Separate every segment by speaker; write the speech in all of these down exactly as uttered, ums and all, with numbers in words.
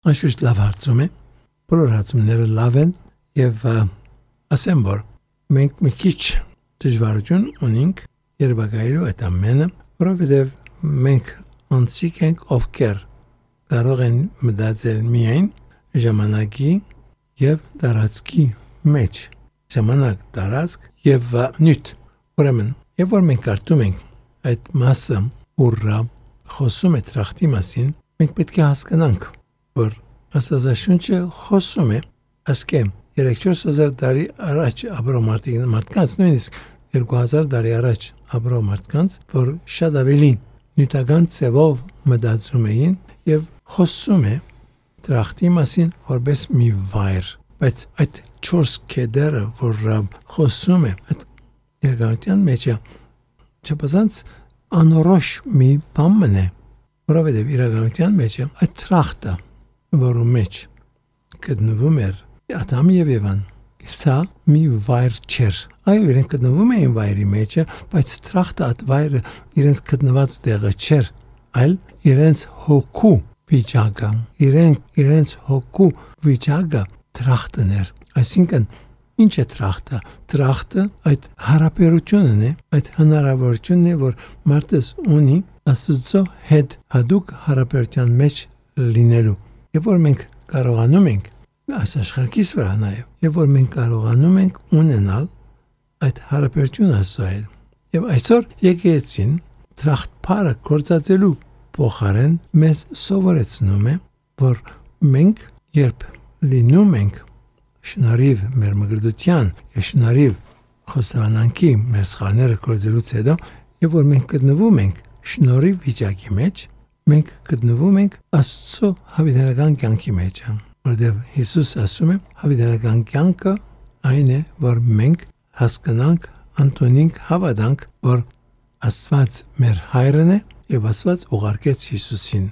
Speaker 1: Անշուշտ լավ հարցում է, բոլոր հարցումները լավ են եւ ասեմ որ մենք մի քիչ դժվարություն ունենք երբակայելու այդ ամենը, որովհետեւ մենք անցիկ ենք ովքեր կարող են մտածել միայն ժամանակի եւ տարածքի մեջ, ժամանակ, տարածք եւ նյութ։ Ուրեմն, երբ որ մենք կարդում ենք այդ մասը, ուրա խոսում է տրախտի մասին, մենք պետք է հասկանանք, որ Աստվածաշունչը խոսում է ասկե երեք-չորս հազար տարի առաջ ապրող մարդկանց, նույնիսկ երկու հազար տարի առաջ ապրող մարդկանց, որ շատ ավելի նյութական ձևով մտածում էին եւ խոսում է տրախտի մասին որպես մի վայր, բայց այդ չորս կետերը, որ խոսում է այդ երկարության մեջ չափազանց անորոշ մի բան է, որովհետեւ իրականության մեջ այդ տրախտը, որում մեջ գտնվում էր Ադամ եւ Եվան, սա մի վայր չէր։ Այո, իրենք գտնվում էին վայրի մեջ, բայց տրախտը այդ վայրը իրենց գտնված տեղը չէր, այլ իրենց հոգու վիճակը, իրենք իրենց հոգու վիճակը տրախտն էր։ Այսինքն ինչ է տրախտը։ Տրախտը այդ հարաբերությունն է, այդ հնարավորությունն է, որ մարդը ունի Աստծո հետ հատուկ հարաբերության մեջ լինելու։ Երբ որ մենք կարողանում ենք այս աշխարհից վրա նաև, երբ որ մենք կարողանում ենք ունենալ այդ հարաբերությունը Աստծո հետ, եւ այսօր եկեղեցին տրախտփարը կործածելու փոխարեն մեզ սովորեցնում է, որ մենք երբ լինում ենք շնորհիվ մեր մգրդության եւ շնորհիվ խոստովանանքի մեր սխալները կործելուց հետո, երբ որ մենք գտնվում ենք շնորհի վիճակի մեջ, մենք գտնվում ենք Աստծո հավիտենական կյանքի մեջ, որտեղ Հիսուս ասում է, հավիտենական կյանքը այն է, որ մենք հասկանանք, ընդունենք, հավատանք, որ Աստված մեր հայրն է եւ Աստված ուղարկեց Հիսուսին։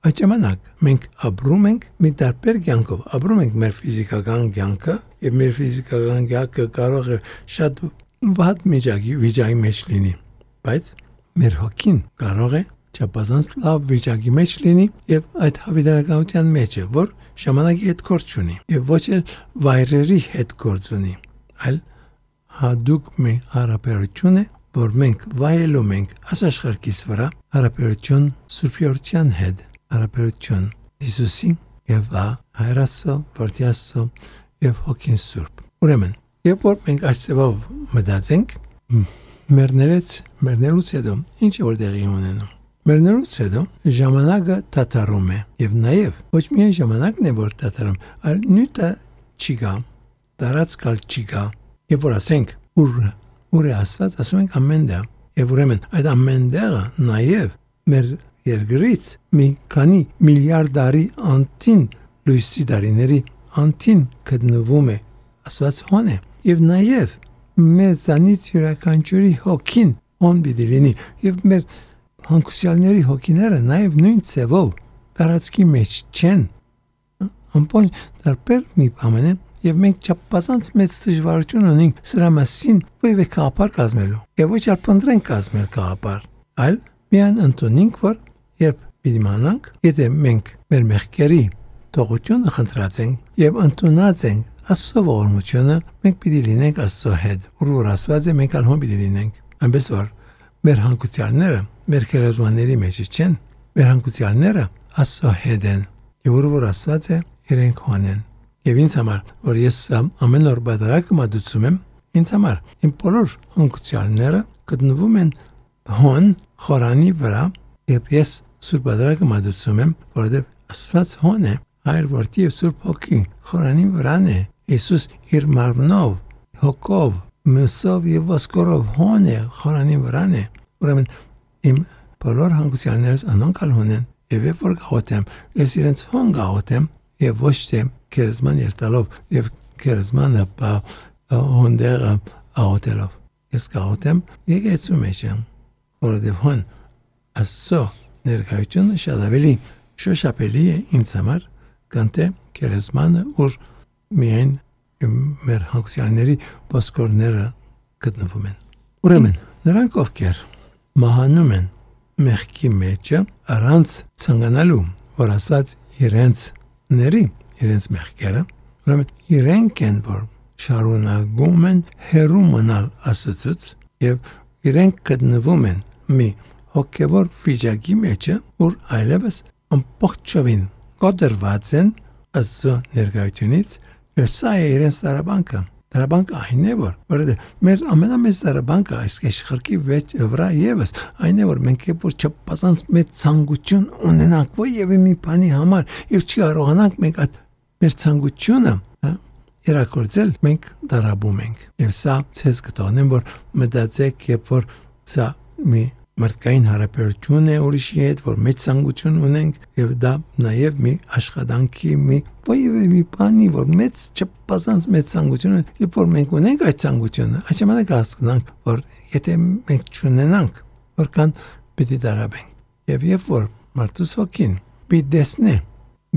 Speaker 1: Այդ ժամանակ մենք ապրում ենք մի տարբեր կյանքով, ապրում ենք մեր ֆիզիկական կյանքը, եւ մեր ֆիզիկական կյանքը կարող է շատ վատ միջակի վիճակի մեջ լինի, բայց մեր հոգին կարող է չափազանց լավ վիճակի մեջ լինի եւ այդ հավիտենականության մեջ է, որ ժամանակի հետ գործ չունի եւ ոչ էլ վայրերի հետ գործ ունի, այլ հատուկ մի հարաբերություն է, որ մենք վայելում ենք աշխարհից վրա հարաբերություն Սուրբիորության հետ, հարաբերություն Հիսուսի եւ Հայրասո, Որդիասո եւ Հոգին Սուրբ։ Ուրեմն, երբ որ մենք այսպես մտածենք, մեռնելուց մեռնելուց հետո ինչ որ տեղի ունենում։ Մեռնելուց հետո ժամանակը դադարում է եւ նաեւ ոչ միայն ժամանակն է որ դադարում, այլ նյութը չի գա, տարածքալ չի գա։ Եվ որ ասենք ուր ուր է Աստված, ասում ենք ամեն տեղ։ Եվ ուրեմն այդ ամեն տեղը նաեւ մեր երկրից մի քանի միլիարդ տարի անտին լույսի դարիների անտին գտնվում է Աստված հոն է եւ նաեւ մեզանից յուրաքանչյուրի հոգին հոն պիտի լինի եւ մեր հանգուցյալների հոգիները նաեւ նույն ձևով տարածքի մեջ չեն ամբողջ տարբեր մի բան է եւ մենք չափազանց մեծ դժվարություն ունենք սրա մասին ովը կապար կազմելու եւ ոչ էլ փնտրենք կազմել կապար այլ միան ընդունենք որ երբ պիտի մանանք եթե մենք մեր մեղքերի թողությունը խնդրած ենք եւ ընդունած ենք Աստծո ողորմությունը մենք պիտի լինենք Աստծո հետ որ Աստված է մենք ալ հոն պիտի լինենք այնպես որ մեր հանգուցյալները մեր քերազմանների մեջ չեն մեր հանգուցյալները Աստծո հետ են եւ որ Աստված է իրենք հոն են եւ ինձ համար որ ես ամեն օր բادرակ մատուցում եմ ինձ համար իմ բոլոր հանգուցյալները գտնվում են հոն խորանի վրա եւ ես սուրբ բادرակը մատուցում եմ որովհետեւ Աստված հոն է Հայր որդի եւ Սուրբ Հոգի խորանի վրան է Հիսուս իր մարմնով հոգով մսով եւ ոսկորով հոն է խորանի վրան է ուրեմն իմ բոլոր հանգուցյալներս անոնքալ հոն են եւ երբ որ գաղութեմ ես իրենց հոն գաղութեմ եւ ոչ թե քերզման երտալով եւ քերզմանը հոնդերը աղոտելով ես գաղութեմ եկեցու մեջ եմ որովհետեւ հոն Աստծո ներկայությունը շատ ավելի շոշափելի է ինձ համար կանտե քերզմանը որ միայն մեր հանգուցյալների ոսկորները գտնվում են ուրեմն նրանք ովքեր մահանում են մեղքի մեջ առանց ցանկանալու որ Աստված իրենց ների իրենց մեղքերը, ուրեմն իրենք են, որ շարունակում են հեռու մնալ Աստծուց եւ իրենք գտնվում են մի հոգևոր վիճակի մեջ, որ այլևս ամբողջովին կոտրված են Աստծո ներկայությունից, եւ սա է իրենց տարաբանքը։ Տարաբանքը այն է, որ որովհետեւ մեր ամենամեծ տարաբանքը այս աշխարհի վրա եւս այն է, որ մենք երբ որ չափազանց մեծ ցանկություն ունենանք եւ մի բանի համար եւ չկարողանանք մենք այդ մեր ցանկությունը իրակորձել, մենք տարաբում ենք։ Եվ սա ցեզ կտոնեմ, որ մտածեք, երբ որ սա մի մարդկային հարաբերություն է ուրիշի հետ, որ մեծ ցանկություն ունենք, եւ դա նաեւ մի աշխատանքի մի ոյ մի բանի, որ մեծ չափազանց մեծ ցանկություն է, երբ որ մենք ունենք այդ ցանկությունը, այս ժամանակ հասկանանք, որ եթե մենք չունենանք, որքան պիտի տարաբենք։ Եվ երբ որ մարդուս հոգին պիտի տեսնի,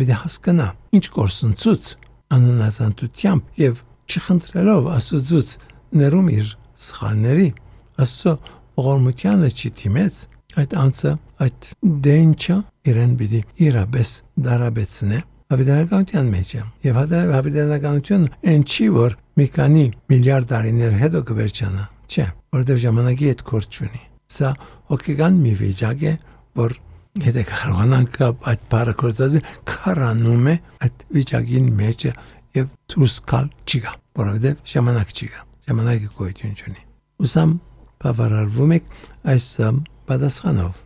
Speaker 1: պիտի հասկանա, ինչ կորսնցուց անանազանտությամբ եւ չխնդրելով Աստծուց ներում իր սխալների, Աստծո ողորմությանը չդիմեց, այդ անձը այդ դենչը իրեն պիտի իրապես դարաբեցնե հավիտենականության մեջ։ Եվ հավիտենականությունը այն չի, որ մի քանի միլիարդ տարիներ հետո կվերջանա, չէ, որովհետև ժամանակի հետ կորց չունի։ Սա հոգեկան մի վիճակ է, որ եթե կարողանանք այդ բառը կործածել, քարանում է այդ վիճակին մեջ եւ դուրս գալ չի գա, որովհետեւ ժամանակ չի գա, ժամանակը գոյություն չունի։ Ուսամ բավարարվում եք այս պատասխանով։